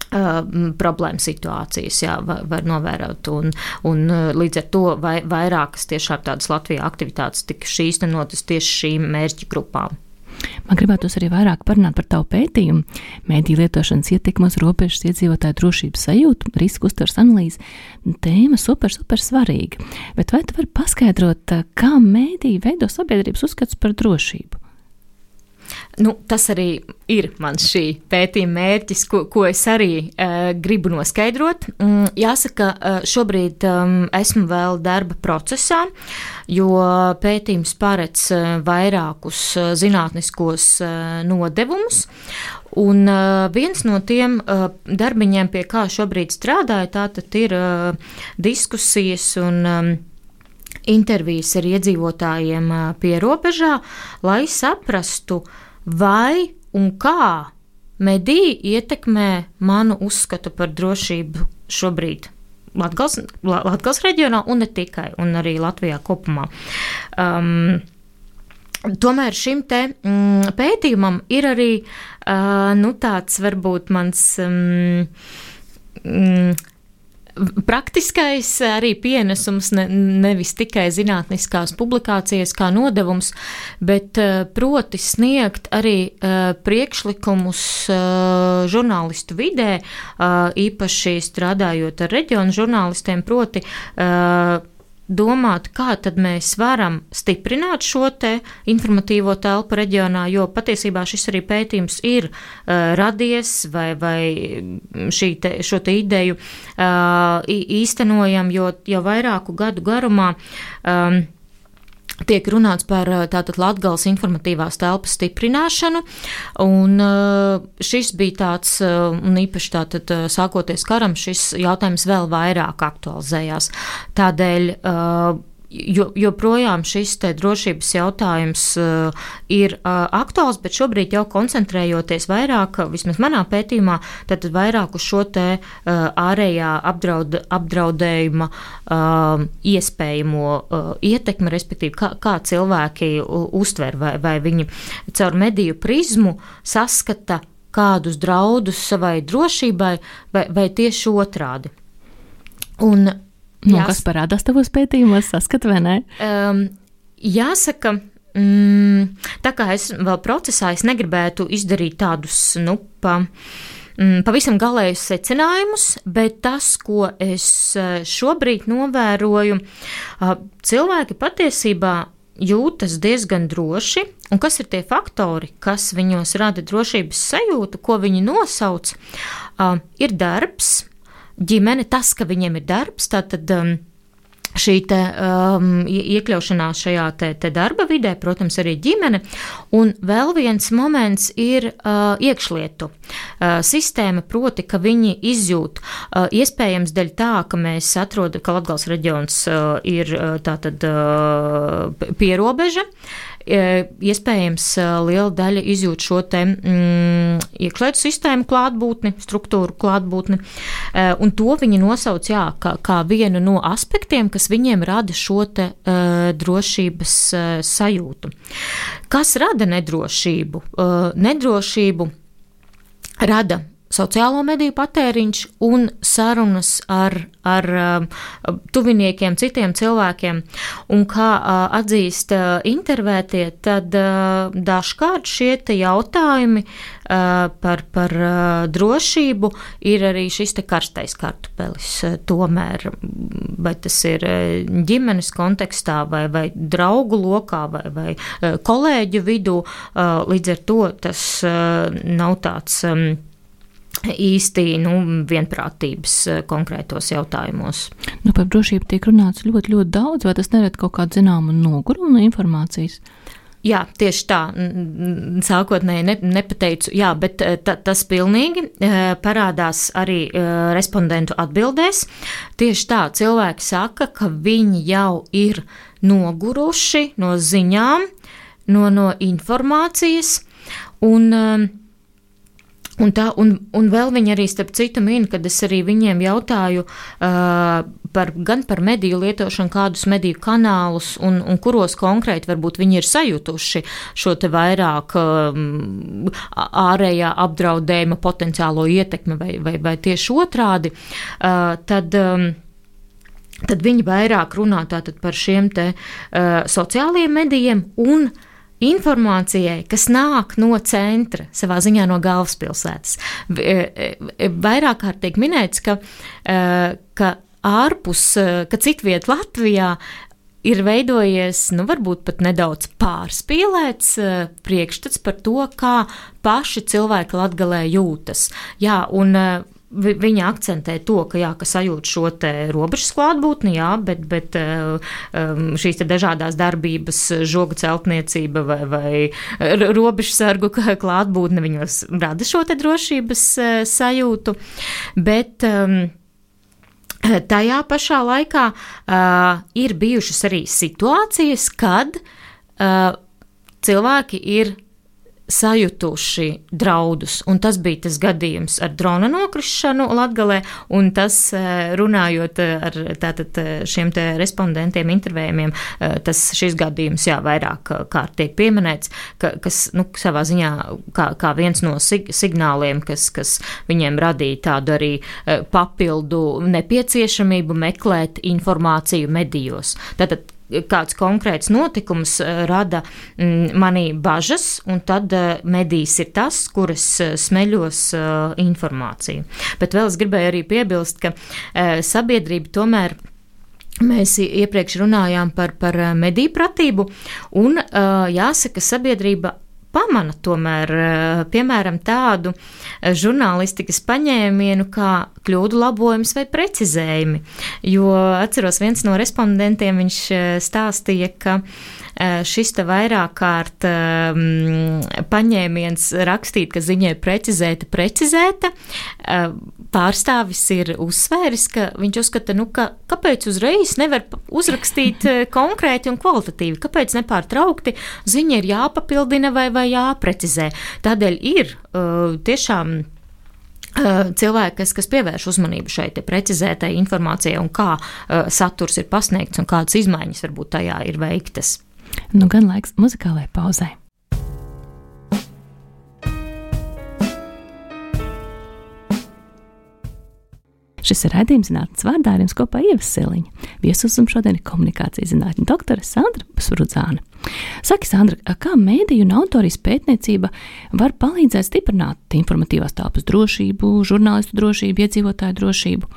uh, problēma situācijas, jā, var, var novērot, un, un līdz ar to vai, vairākas tiešām tādas Latvijā aktivitātes tika īstenotas tieši šīm mērķu grupām. Man gribētos arī vairāk parunāt par tavu pētījumu, mediju lietošanas ietekmi uz robežas iedzīvotāju drošības sajūtu, risku uztveres analīzi. Tēma super, super svarīga. Bet vai tu vari paskaidrot, kā mediji veido sabiedrības uzskats par drošību? Nu, tas arī ir mans šī pētījuma mērķis, ko, ko es arī uh, gribu noskaidrot. Um, jāsaka, uh, šobrīd um, esmu vēl darba procesā, jo pētījums paredz uh, vairākus uh, zinātniskos uh, nodevumus, un uh, viens no tiem uh, darbiņiem, pie kā šobrīd strādāju, tātad ir uh, diskusijas un um, intervijas ar iedzīvotājiem pie robežā, lai saprastu, vai un kā mediji ietekmē manu uzskatu par drošību šobrīd Latgales, Latgales reģionā un ne tikai, un arī Latvijā kopumā. Um, tomēr šim te mm, pētījumam ir arī uh, nu, tāds varbūt mans um, mm, praktiskais arī pienesums, ne, nevis tikai zinātniskās publikācijas kā nodevums, bet proti sniegt arī priekšlikumus žurnālistu vidē, īpaši strādājot ar reģionu žurnālistiem, proti domāt, kā tad mēs varam stiprināt šo te informatīvo telpu reģionā, jo patiesībā šis arī pētījums ir uh, radies vai, vai šī te, šo te ideju uh, īstenojam, jo jau vairāku gadu garumā um, tiek runāts par tātad Latgales informatīvās telpas stiprināšanu, un šis bija tāds, un īpaši tātad sākoties karam, šis jautājums vēl vairāk aktualizējās. Tādēļ jo, joprojām šis te drošības jautājums uh, ir uh, aktuāls, bet šobrīd jau koncentrējoties vairāk, vismaz manā pētījumā, tad vairāk uz šo te uh, ārējā apdraud, apdraudējuma uh, iespējamo uh, ietekmi, respektīvi, kā, kā cilvēki uh, uztver, vai, vai viņi caur mediju prizmu saskata kādus draudus savai drošībai, vai, vai tieši otrādi. Un, nu, jās... kas parādās tavos pētījumos, saskat vai ne? Um, jāsaka, mm, tā kā es vēl procesā, es negribētu izdarīt tādus, nu, pa, mm, pavisam galējus secinājumus, bet tas, ko es šobrīd novēroju, uh, cilvēki patiesībā jūtas diezgan droši, un kas ir tie faktori, kas viņos rada drošības sajūtu, ko viņi nosauc, uh, ir darbs, ģimene, tas, ka viņiem ir darbs, tātad um, šī te, um, iekļaušanās šajā te, te darba vidē, protams, arī ģimene. Un vēl viens moments ir uh, iekšlietu uh, sistēma, proti, ka viņi izjūt uh, iespējams dēļ tā, ka mēs atrodam, ka Latgales reģions uh, ir uh, tātad uh, pierobeža. Iespējams, liela daļa izjūt šo te mm, iekšlietu sistēmu klātbūtni, struktūru klātbūtni, un to viņi nosauc, jā, kā, kā vienu no aspektiem, kas viņiem rada šo te uh, drošības uh, sajūtu. Kas rada nedrošību? Uh, nedrošību rada sociālo mediju patēriņš un sarunas ar, ar uh, tuviniekiem, citiem cilvēkiem. Un kā uh, atzīst uh, intervētie, tad uh, dažkārt šie te jautājumi uh, par, par uh, drošību ir arī šis te karstais kartupelis. Uh, tomēr, vai tas ir uh, ģimenes kontekstā, vai, vai draugu lokā, vai, vai uh, kolēģu vidū, uh, līdz ar to tas uh, nav tāds um, īsti nu, vienprātības konkrētos jautājumos. Nu, par drošību tiek runāts ļoti, ļoti daudz, vai tas nerad kaut kādu zināmu nogurumu no informācijas? Jā, tieši tā, sākotnēji ne, nepateicu, jā, bet ta, tas pilnīgi parādās arī respondentu atbildēs. Tieši tā, cilvēki saka, ka viņi jau ir noguruši no ziņām, no, no informācijas, un Un, tā, un, un vēl viņi arī starp citu min, kad es arī viņiem jautāju uh, par, gan par mediju lietošanu, kādus mediju kanālus un, un kuros konkrēti varbūt viņi ir sajutuši šo te vairāk um, ārējā apdraudējuma potenciālo ietekmi vai, vai, vai tieši otrādi, uh, tad. Um, tad viņi vairāk runā tātad par šiem te uh, sociālajiem medijiem un informācijai, kas nāk no centra, savā ziņā no galvaspilsētas. Vairāk kārt tiek minēts, ka, ka ārpus, ka citviet Latvijā ir veidojies, nu, varbūt pat nedaudz pārspīlēts priekšstats par to, kā paši cilvēki Latgalē jūtas. Jā, un viņa akcentē to, ka, jā, ka sajūt šo te robežas klātbūtni, jā, bet, bet um, šīs te dažādās darbības, žogu celtniecība vai, vai robežsargu klātbūtne viņos rada šo te drošības sajūtu, bet um, tajā pašā laikā uh, ir bijušas arī situācijas, kad uh, cilvēki ir sajutuši draudus, un tas bija tas gadījums ar drona nokrišanu Latgalē, un tas, runājot ar tātad šiem te respondentiem, intervējumiem, tas šis gadījums, jā, vairāk kārt tiek pieminēts, ka, kas, nu, savā ziņā kā, kā viens no sig- signāliem, kas, kas viņiem radīja tādu arī papildu nepieciešamību meklēt informāciju medijos. Tātad kāds konkrēts notikums rada manī bažas, un tad medijs ir tas, kuras smeļos informāciju. Bet vēl es gribēju arī piebilst, ka sabiedrība tomēr. Mēs iepriekš runājām par, par mediju pratību, un jāsaka, sabiedrība pamana tomēr, piemēram, tādu žurnālistikas paņēmienu kā kļūdu labojums vai precizējumi. Jo atceros, viens no respondentiem, viņš stāstīja, ka šis te vairāk kārt um, paņēmiens rakstīt, ka ziņai precizēta, precizēta, uh, pārstāvis ir uzsvēris, ka viņš uzskata, nu, ka kāpēc uzreiz nevar uzrakstīt konkrēti un kvalitatīvi, kāpēc nepārtraukti ziņa ir jāpapildina vai, vai jāprecizē. Tādēļ ir uh, tiešām cilvēki, kas, kas pievērš uzmanību šai te precizētai informācijai un kā uh, saturs ir pasniegts un kādas izmaiņas varbūt tajā ir veiktas. Nu gan laiks muzikālai pauzai. Šis ir raidījums zinātnes vārdā, ar jums kopā Ieva Siliņa. Viesus un šodien ir komunikācijas zinātņu doktore Sandra Sprudzāne. Saki, Sandra, kā mēdīju un autorijas pētniecība var palīdzēt stiprināt informatīvās telpas drošību, žurnālistu drošību, iedzīvotāju drošību?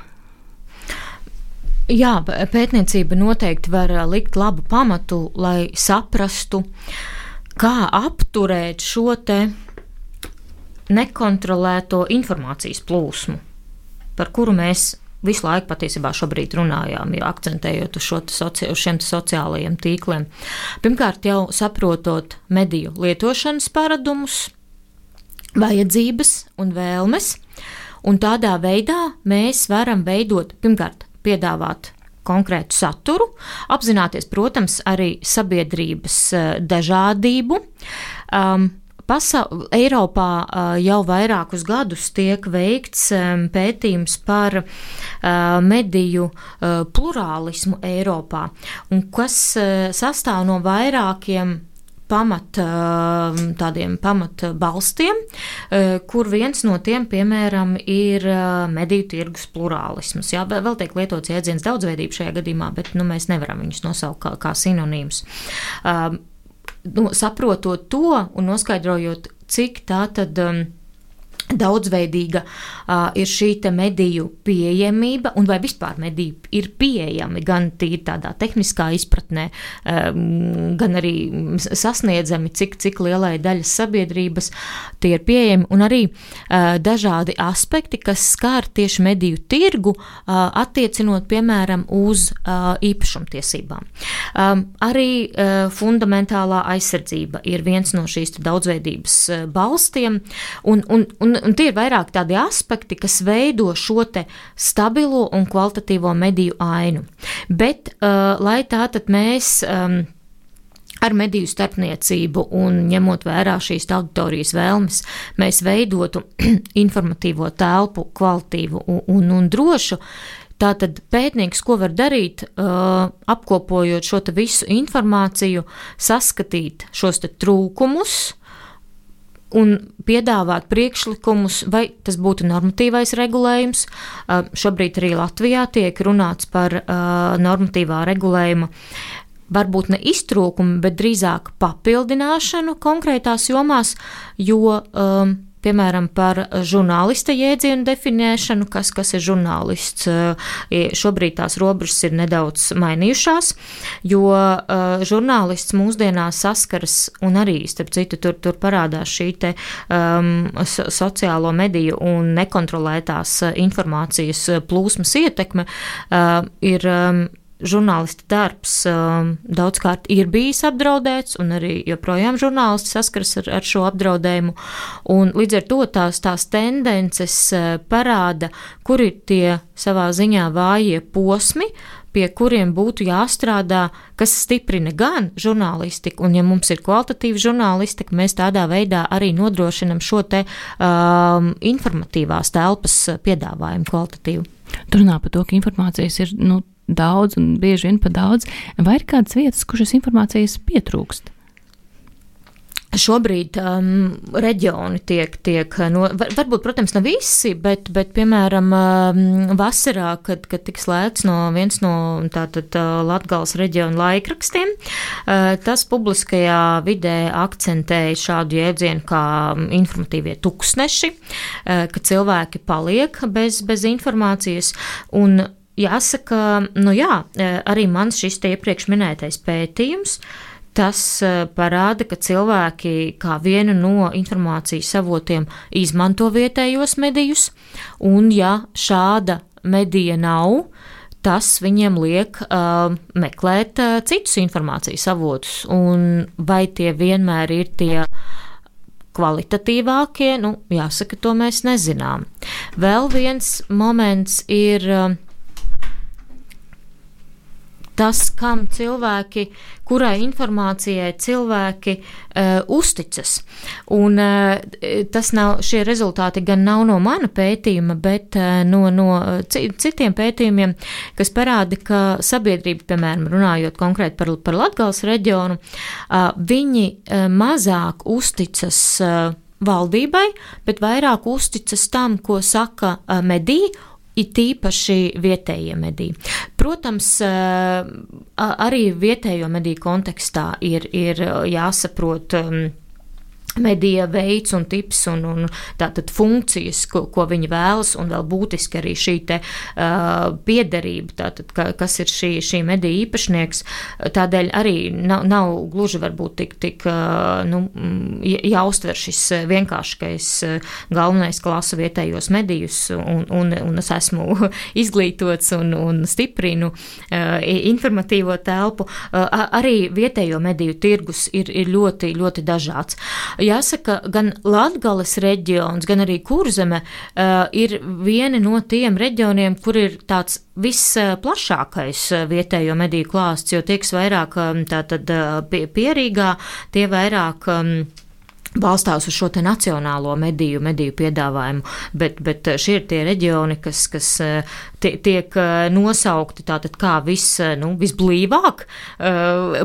Jā, pētniecība noteikti var likt labu pamatu, lai saprastu, kā apturēt šo te nekontrolēto informācijas plūsmu, par kuru mēs visu laiku patiesībā šobrīd runājām, ja akcentējot uz, šo soci, uz šiem sociālajiem tīkliem. Pirmkārt, jau saprotot mediju lietošanas paradumus, vajadzības un vēlmes, un tādā veidā mēs varam veidot, pirmkārt, piedāvāt konkrētu saturu, apzināties, protams, arī sabiedrības dažādību. Um, Pasa- Eiropā uh, jau vairākus gadus tiek veikts um, pētījums par uh, mediju uh, plurālismu Eiropā, un kas uh, sastāv no vairākiem pamat, uh, tādiem pamat balstiem, uh, kur viens no tiem, piemēram, ir uh, mediju tirgus plurālisms. Jā, vēl tiek lietots jēdziens daudzveidība šajā gadījumā, bet nu, mēs nevaram viņus nosaukt kā, kā sinonīmus. Uh, Nu, saprotot to un noskaidrojot, cik tā tad um, daudzveidīga uh, ir šī te mediju pieejamība, un vai vispār mediji ir pieejami gan tīri tādā tehniskā izpratnē, um, gan arī sasniedzami, cik, cik lielai daļas sabiedrības tie ir pieejami, un arī uh, dažādi aspekti, kas skar tieši mediju tirgu, uh, attiecinot, piemēram, uz uh, īpašumtiesībām. Um, arī uh, fundamentālā aizsardzība ir viens no šīs daudzveidības uh, balstiem, un, un, un Un tie ir vairāk tādi aspekti, kas veido šo te stabilo un kvalitatīvo mediju ainu. Bet, uh, lai tātad mēs um, ar mediju starpniecību un ņemot vērā šīs auditorijas vēlmes, mēs veidotu informatīvo telpu kvalitīvu un, un, un drošu, tātad pētnieks, ko var darīt, uh, apkopojot šo te visu informāciju, saskatīt šos te trūkumus, un piedāvāt priekšlikumus, vai tas būtu normatīvais regulējums. Uh, šobrīd arī Latvijā tiek runāts par uh, normatīvā regulējuma varbūt ne iztrūkumu, bet drīzāk papildināšanu konkrētās jomās, jo, um, piemēram, par žurnālista jēdzienu definēšanu, kas, kas ir žurnālists. Šobrīd tās robežas ir nedaudz mainījušās, jo uh, žurnālists mūsdienās saskaras, un arī, starp citu, tur, tur parādās šī te um, so, sociālo mediju un nekontrolētās informācijas plūsmas ietekme, uh, ir um, žurnālista darbs um, daudzkārt ir bijis apdraudēts, un arī joprojām žurnālisti saskaras ar, ar šo apdraudējumu. Un līdz ar to tās, tās tendences uh, parāda, kur ir tie savā ziņā vājie posmi, pie kuriem būtu jāstrādā, kas stiprina gan žurnālistiku, un ja mums ir kvalitatīva žurnālistika, mēs tādā veidā arī nodrošinam šo te um, informatīvās telpas piedāvājumu kvalitatīvu. Tur runā par to, ka informācijas ir, nu, daudz un bieži vien pa daudz, vai ir kādas vietas, kur šis informācijas pietrūkst? Šobrīd um, reģioni tiek, tiek no, var, varbūt, protams, ne visi, bet, bet piemēram, um, vasarā, kad, kad tiks slēgts no viens no tātad Latgales reģiona laikrakstiem, uh, tas publiskajā vidē akcentēja šādu jēdzienu kā informatīvie tuksneši, uh, ka cilvēki paliek bez, bez informācijas, un jāsaka, nu jā, arī mans šis te iepriekš minētais pētījums, tas parāda, ka cilvēki kā vienu no informācijas avotiem izmanto vietējos medijus, un ja šāda medija nav, tas viņiem liek uh, meklēt uh, citus informācijas avotus, un vai tie vienmēr ir tie kvalitatīvākie, nu, jāsaka, to mēs nezinām. Vēl viens moments ir uh, tas, kam cilvēki, kurai informācijai cilvēki uh, uzticas. Un uh, tas nav, šie rezultāti gan nav no mana pētījuma, bet uh, no, no citiem pētījumiem, kas parāda, ka sabiedrība, piemēram, runājot konkrēti par, par Latgales reģionu, uh, viņi uh, mazāk uzticas uh, valdībai, bet vairāk uzticas tam, ko saka uh, mediji, ir tīpaši vietējie mediji. Protams, arī vietējo mediju kontekstā ir, ir jāsaprot medija veids un tips un, un tātad funkcijas, ko, ko viņi vēlas, un vēl būtiski arī šī te uh, piederība, tātad, ka, kas ir šī, šī medija īpašnieks, tādēļ arī nav, nav gluži varbūt tik, tik uh, nu, jāuztver šis vienkāršais galvenais, ka lasu vietējos medijus, un, un, un es esmu izglītots un, un stiprinu uh, informatīvo telpu. Uh, arī vietējo mediju tirgus ir, ir ļoti, ļoti dažāds. Jāsaka, gan Latgales reģions, gan arī Kurzeme uh, ir vieni no tiem reģioniem, kur ir tāds visplašākais vietējo mediju klāsts, jo tieks vairāk tātad pie, pierīgā, tie vairāk um, balstās uz šo te nacionālo mediju, mediju piedāvājumu, bet, bet šie ir tie reģioni, kas, kas tie, tiek nosaukti tātad kā vis, nu, visblīvāk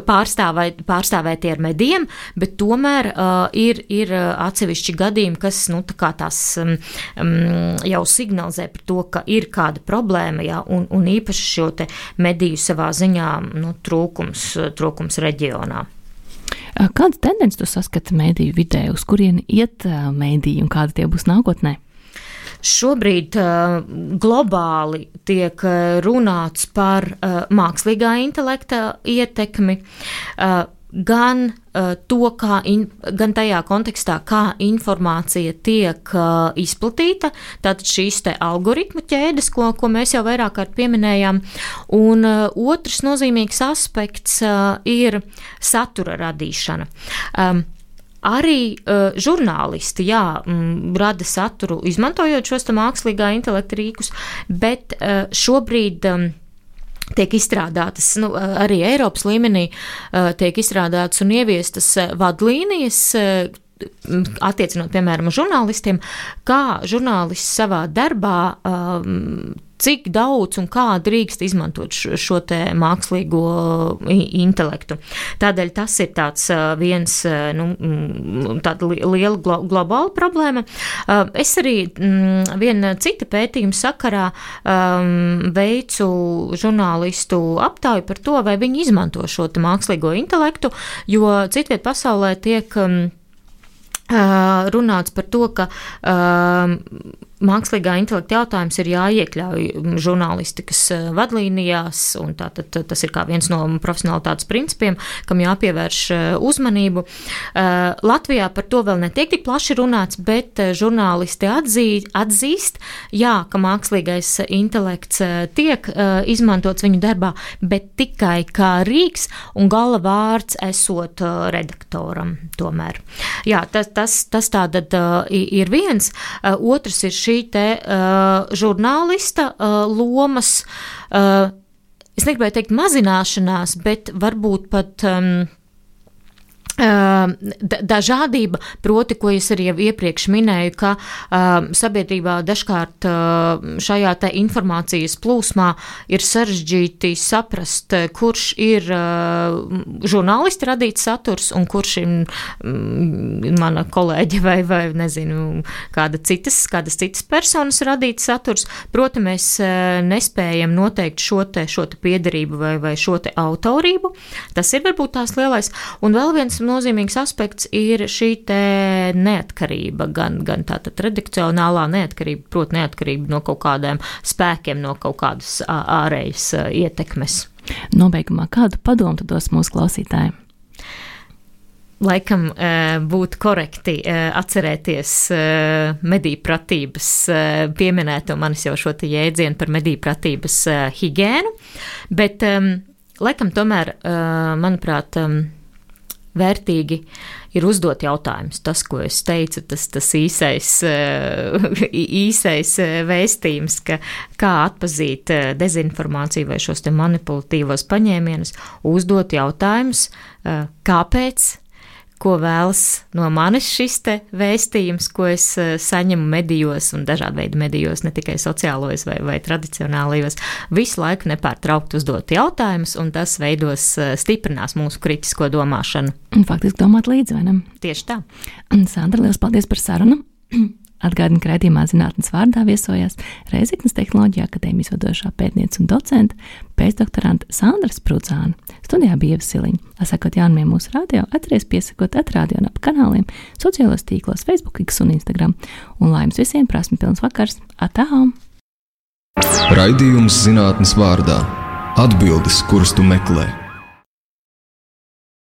pārstāvē, pārstāvēti ar medijiem, bet tomēr uh, ir, ir atsevišķi gadījumi, kas, nu, tā kā tās um, jau signalizē par to, ka ir kāda problēma, jā, un, un īpaši šo te mediju savā ziņā, nu, trūkums, trūkums reģionā. Kādas tendences tu saskati mēdīju vidē, uz kurieni iet mēdīji un kādi tie būs nākotnē? Šobrīd uh, globāli tiek runāts par uh, mākslīgā intelekta ietekmi, uh, gan uh, to, kā in, gan tajā kontekstā, kā informācija tiek uh, izplatīta, tātad šīs te algoritmu ķēdes, ko, ko mēs jau vairāk kārt pieminējām, un uh, otrs nozīmīgs aspekts uh, ir satura radīšana. Um, Arī uh, žurnālisti, jā, m, rada saturu, izmantojot šos te mākslīgā intelekta rīkus, bet uh, šobrīd um, tiek izstrādātas, nu, arī Eiropas līmenī uh, tiek izstrādātas un ieviestas vadlīnijas, uh, attiecinot, piemēram, žurnālistiem, kā žurnālists savā darbā um, cik daudz un kā drīkst izmantot šo, šo te mākslīgo intelektu. Tādēļ tas ir tāds viens, nu, tāda liela glo, globāla problēma. Es arī viena cita pētījuma sakarā um, veicu žurnālistu aptauju par to, vai viņi izmanto šo te mākslīgo intelektu, jo citviet pasaulē tiek um, runāts par to, ka um, mākslīgā intelekta jautājums ir jāiekļauj žurnālistikas vadlīnijās, un tātad tas ir kā viens no profesionalitātes principiem, kam jāpievērš uzmanību. Latvijā par to vēl netiek tik plaši runāts, bet žurnālisti atzī, atzīst, jā, ka mākslīgais intelekts tiek izmantots viņu darbā, bet tikai kā rīks un gala vārds esot redaktoram tomēr. Jā, tas, tas, tas tātad ir viens. Otrs ir šī šī te uh, žurnālista uh, lomas, uh, es negribēju teikt mazināšanās, bet varbūt pat um, dažādība, proti, ko es arī jau iepriekš minēju, ka uh, sabiedrībā dažkārt uh, šajā te informācijas plūsmā ir sarežģīti saprast, kurš ir uh, žurnālisti radīts saturs un kurš ir um, mana kolēģe vai, vai nezinu, kāda citas, kādas citas personas radīts saturs. Proti, mēs uh, nespējam noteikt šo te, šo te piederību vai, vai šo te autorību. Tas ir varbūt tās lielais. Un vēl viens nozīmīgs aspekts ir šī te neatkarība, gan, gan tātad redakcionālā neatkarība, proti neatkarība no kaut kādiem spēkiem, no kaut kādas ārējas ietekmes. Nobeigumā kādu padomu tu dos mūsu klausītājiem? Laikam būtu korekti atcerēties mediju pratības, pieminēto manis jau šo te jēdzienu par mediju pratības higēnu, bet laikam tomēr, manuprāt, vērtīgi ir uzdot jautājumus. Tas, ko es teicu, tas, tas īsais, īsais vēstījums, ka kā atpazīt dezinformāciju vai šos te manipulatīvos paņēmienus, uzdot jautājumus, kāpēc, ko vēlas no manis šis te vēstījums, ko es saņemu medijos un dažādu veidu medijos, ne tikai sociālajos vai, vai tradicionālajos, visu laiku nepārtraukt uzdot jautājumus, un tas veidos stiprinās mūsu kritisko domāšanu. Un faktiski domāt līdzi, vai ne? Tieši tā. Sandra, liels paldies par sarunu. Atgādinu, ka raidījumā Zinātnes vārdā viesojās Reizeknes Tehnoloģiju akadēmijas vadošā pētniece un docente, pēcdoktorante Sandra Sprudzāne. Studijā bija Ieva Siliņa. Sakot jaunumiem mūsu radio, atceries piesakot atradio un ap kanāliem, sociālos tīklos, Facebook, X un Instagram. Un lai jums visiem prasmi pilns vakars. Atā! Raidījums Zinātnes vārdā. Atbildes, kuras tu meklē.